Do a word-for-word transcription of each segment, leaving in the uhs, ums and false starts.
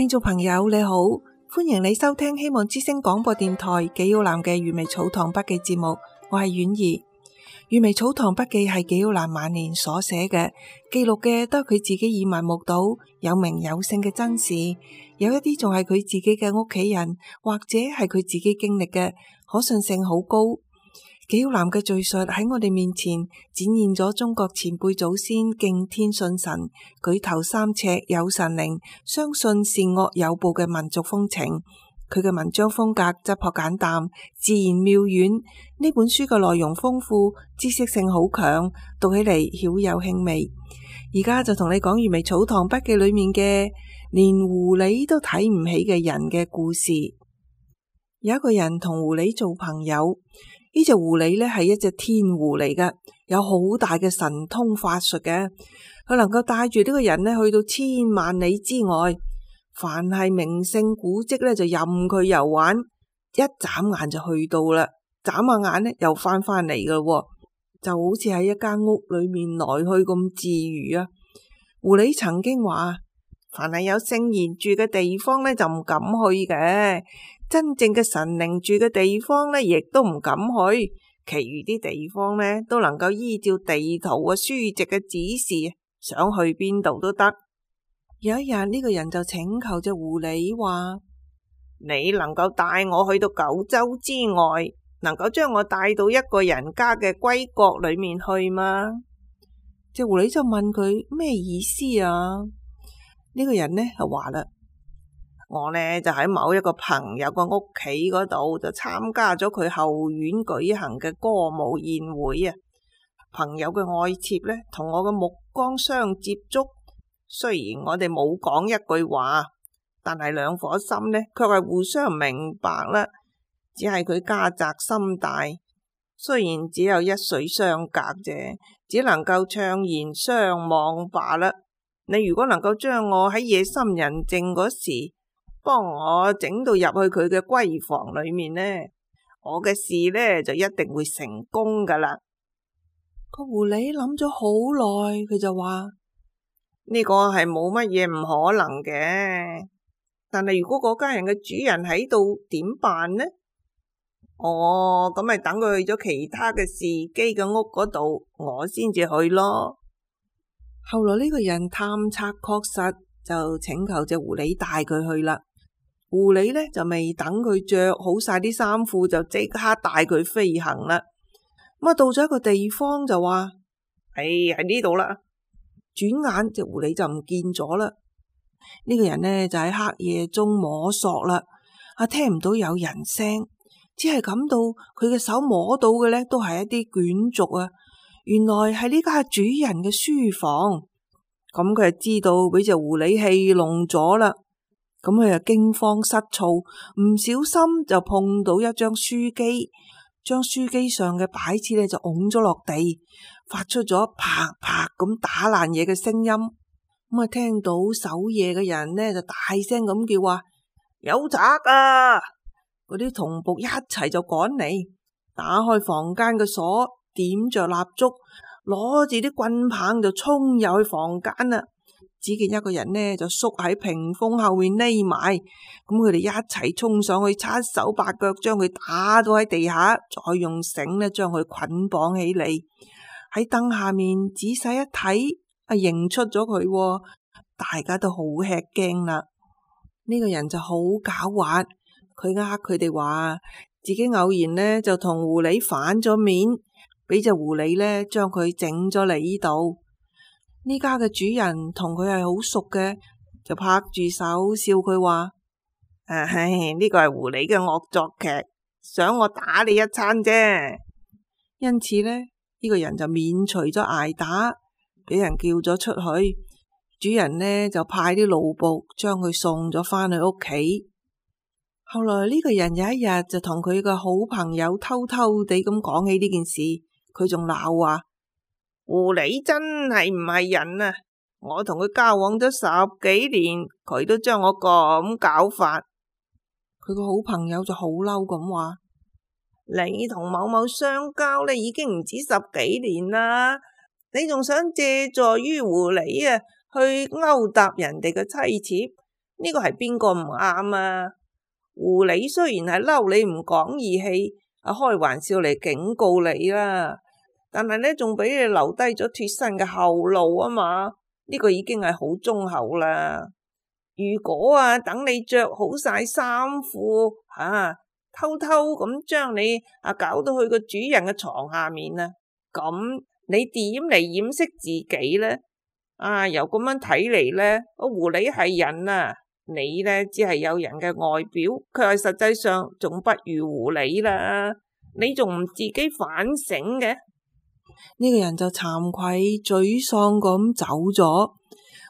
聽眾朋友你好，歡迎你收聽希望之聲廣播電台紀曉嵐嘅《閱微草堂筆記》節目，我係婉兒。《閱微草堂筆記》係紀曉嵐晚年所寫嘅，記錄嘅都係佢自己耳聞目睹、有名有姓嘅真事，有一啲仲係佢自己嘅屋企人或者係佢自己經歷嘅，可信性好高。紀曉嵐嘅敘述喺我哋面前展現咗中國前輩祖先敬天信神、舉頭三尺有神靈、相信善惡有報嘅民族風情。佢嘅文章風格質樸簡淡，自然妙遠。呢本書嘅內容豐富，知識性好強，讀起嚟曉有興味。而家就同你講《閱微草堂筆記》裏面嘅連狐狸都睇唔起嘅人嘅故事。有一個人同狐狸做朋友，呢隻狐狸呢係一隻天狐嚟嘅，有好大嘅神通法術嘅，佢能夠帶住呢個人呢去到千萬里之外。凡係名勝古蹟咧，就任佢遊玩，一眨眼就去到啦，眨下眼咧又翻返嚟噶咯，就好似喺一間屋裏面來去咁自如啊。狐狸曾經話：凡係有聖賢住嘅地方咧，就唔敢去嘅；真正嘅神靈住嘅地方咧，亦都唔敢去。其餘啲地方咧，都能夠依照地圖啊、書籍嘅指示，想去邊度都得。有一日呢、這個人就請求隻狐狸話：你能夠帶我去到九州之外，能夠將我帶到一個人家嘅歸國裏面去嗎？隻狐狸就問佢咩意思啊？呢、這個人呢就話啦：我呢就喺某一個朋友個屋企嗰度就參加咗佢後院舉行嘅歌舞宴會啊！朋友嘅愛妾呢同我嘅目光相接觸。雖然我哋冇講一句話，但係兩顆心呢，卻係互相明白啦。只係佢家宅心大，雖然只有一水相隔啫，只能夠悵然相望罷啦。你如果能夠將我喺夜深人靜嗰時，幫我整到入去佢嘅閨房裏面呢，我嘅事呢就一定會成功噶啦。個狐狸諗咗好耐，佢就話：呢個係冇乜嘢唔可能嘅，但係如果嗰家人嘅主人喺度點辦呢？哦，咁咪等佢去咗其他嘅士機嘅屋嗰度，我先至去咯。後來呢個人探測確實，就請求隻狐狸帶佢去啦。狐狸呢就未等佢着好晒啲衫褲，就即刻帶佢飛行啦。咁啊到咗一個地方就話：哎，喺呢度啦。轉眼隻狐狸就唔見咗啦。呢、這個人呢就喺黑夜中摸索啦，啊聽唔到有人聲，只係感到佢嘅手摸到嘅呢都係一啲卷軸啊。原來係呢家主人嘅書房。咁佢就知道俾隻狐狸戲弄咗啦。咁佢就驚慌失措，唔小心就碰到一張書機，將書機上嘅擺設呢就拱咗落地，發出咗啪啪咁打爛嘢嘅聲音。咁啊，聽到守夜嘅人呢就大聲咁叫話：有賊啊！嗰啲同僕一齊就趕嚟，打開房間嘅鎖，點着蠟燭，攞住啲棍棒就衝入去房間啦。只見一個人呢就縮喺屏風後面匿埋，咁佢哋一齊衝上去，七手八腳將佢打到喺地下，再用繩呢將佢捆綁起嚟。喺燈下面仔細一睇，啊認出咗佢，大家都好吃驚啦。呢個人就好狡猾，佢呃佢哋話自己偶然呢就同狐狸反咗面，俾隻狐狸呢將佢整咗嚟呢度。呢家嘅主人同佢係好熟嘅，就拍住手笑佢話：唉，呢個係狐狸嘅惡作劇，想我打你一餐啫。因此呢，呢個人就免除咗挨打，俾人叫咗出去。主人呢就派啲奴僕將佢送咗返去屋企。後來呢個人有一日就同佢嘅好朋友偷偷地咁講起呢件事，佢仲鬧話：狐狸真係唔係人啊！我同佢交往咗十幾年，佢都將我咁搞法。佢個好朋友就好嬲咁話：你同某某相交呢已經唔止十幾年啦，你仲想借助於狐狸啊去勾搭人哋嘅妻妾？呢個係邊個唔啱啊？狐狸雖然係嬲你唔講義氣，啊開玩笑嚟警告你啦，但係呢仲俾你留低咗脫身嘅後路啊嘛，呢個已經係好忠厚啦。如果啊等你着好晒衫褲，啊偷偷咁將你啊搞到去個主人嘅床下面啊，咁你點嚟掩飾自己呢？啊由咁樣睇嚟呢，個狐狸係人啊，你呢只係有人嘅外表，卻係實際上仲不如狐狸啦。你仲唔自己反省嘅？呢個人就慚愧沮喪咁走咗。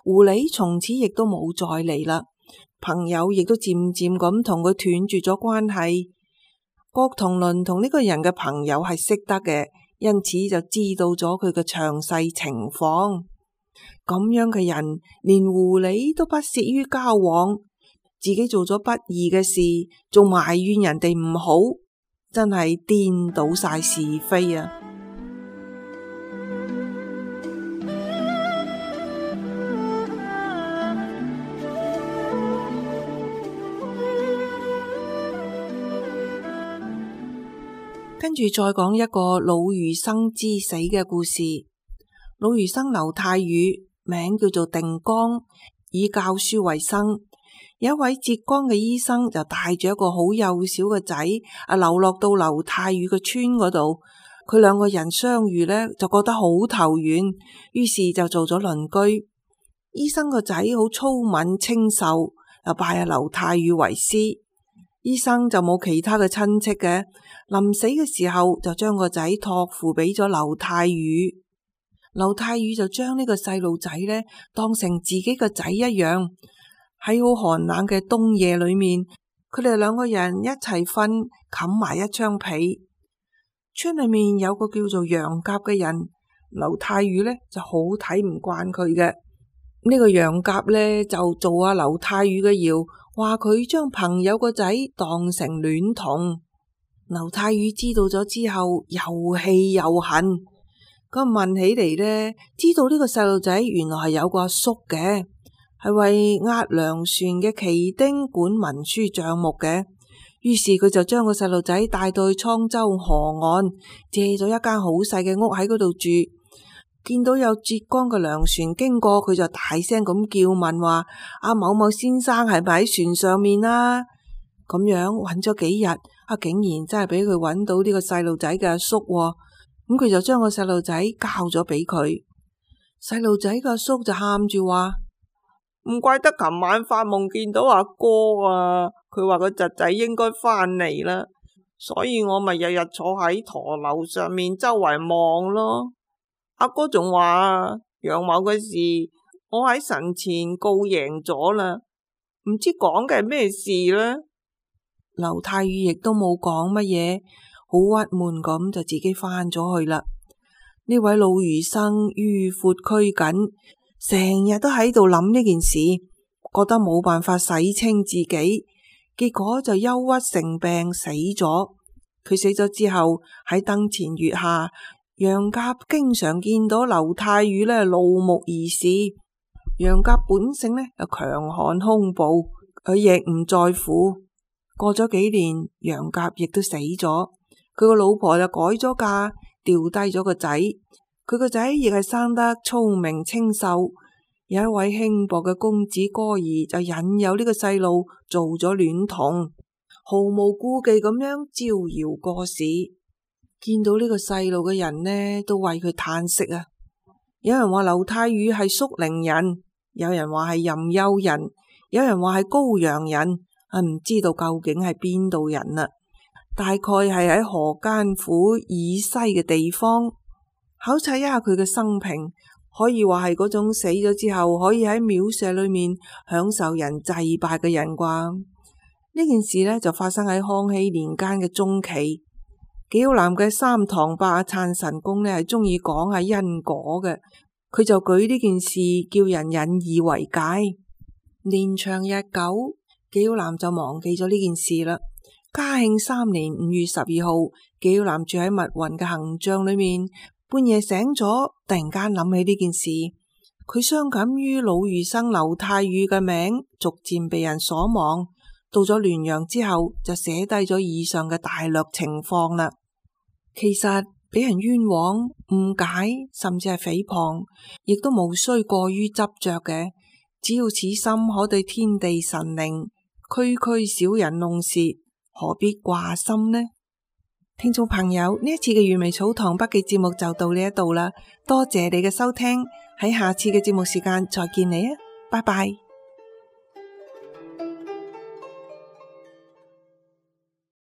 狐狸從此亦都冇再嚟啦。朋友亦都漸漸咁同佢斷絕咗關係。郭同倫同呢個人嘅朋友係識得嘅，因此就知道咗佢嘅詳細情況。咁樣嘅人，連狐狸都不屑於交往，自己做咗不義嘅事，仲埋怨人哋唔好，真係顛倒晒是非啊！跟住再講一個老餘生之死嘅故事。老餘生劉太宇，名叫做定江，以教書為生。有一位浙江嘅醫生就帶住一個好幼小嘅仔啊，流落到劉太宇嘅村嗰度。佢兩個人相遇呢，就覺得好投緣，於是就做咗鄰居。醫生個仔好粗敏清秀，又拜阿劉太宇為師。醫生就冇其他嘅親戚嘅，臨死嘅時候就將個仔託付俾咗劉太宇。劉太宇就將呢個細路仔呢當成自己個仔一樣。喺好寒冷嘅冬夜裏面，佢哋兩個人一齊瞓，冚埋一張被。村裏面有個叫做楊甲嘅人，劉太宇呢就好睇唔慣佢嘅。呢個楊甲呢就做阿劉太宇嘅謠，話佢將朋友個仔當成戀童。劉太宇知道咗之後，又氣又恨。咁問起嚟呢，知道呢個細路仔原來係有個阿叔嘅，係為押糧船嘅旗丁管文書賬目嘅。於是佢就將個細路仔帶到去滄州河岸，借咗一間好細嘅屋喺嗰度住。見到有浙江嘅糧船經過，佢就大聲咁叫問話：阿某某先生係咪喺船上面啊？咁樣揾咗幾日，啊竟然真係俾佢揾到呢個細路仔嘅阿叔。咁佢就將個細路仔交咗俾佢。細路仔嘅阿叔就喊住話：唔怪得琴晚發夢見到阿哥啊，佢話個侄仔應該返嚟啦，所以我咪日日坐喺駝樓上面周圍望咯。阿哥仲話楊某嘅事，我喺神前告贏咗啦，唔知講嘅係咩事呢？劉太宇亦都冇講乜嘢，好鬱悶咁就自己返咗去啦。呢位老餘生迂闊拘謹，成日都喺度諗呢件事，覺得冇辦法洗清自己，結果就憂鬱成病死咗。佢死咗之後，喺燈前月下，楊甲經常見到劉太宇呢怒目而視。楊甲本性呢又強悍兇暴，佢亦唔在乎。過咗幾年，楊甲亦都死咗，佢個老婆就改咗嫁，掉低咗個仔。佢個仔亦係生得聰明清秀。有一位輕薄嘅公子哥兒就引誘呢個細路做咗戀童，毫無顧忌咁樣招搖過市。見到呢個細路嘅人呢，都為佢嘆息啊！有人話劉太宇係肅陵人，有人話係任丘人，有人話係高陽人，啊唔知道究竟係邊度人啦。大概係喺河間府以西嘅地方。考察一下佢嘅生平，可以話係嗰種死咗之後可以喺廟舍裏面享受人祭拜嘅人啩。呢件事呢，就發生喺康熙年間嘅中期。紀曉嵐嘅三堂伯阿粲神公呢係中意講下因果嘅，佢就舉呢件事叫人引以為戒。年長日久，紀曉嵐就忘記咗呢件事啦。嘉慶三年五月十二號，紀曉嵐住喺密雲嘅行帳裏面，半夜醒咗，突然間諗起呢件事，佢傷感於魯豫生劉太宇嘅名逐漸被人所忘，到咗滦陽之後就寫低咗以上嘅大略情況啦。其實俾人冤枉、誤解，甚至係誹謗，亦都無需過於執着嘅。只要此心可對天地神靈，區區小人弄竊，何必掛心呢？聽眾朋友，呢一次嘅粵微草堂筆記節目就到呢一度啦，多謝你嘅收聽，喺下次嘅節目時間再見你啊，拜拜。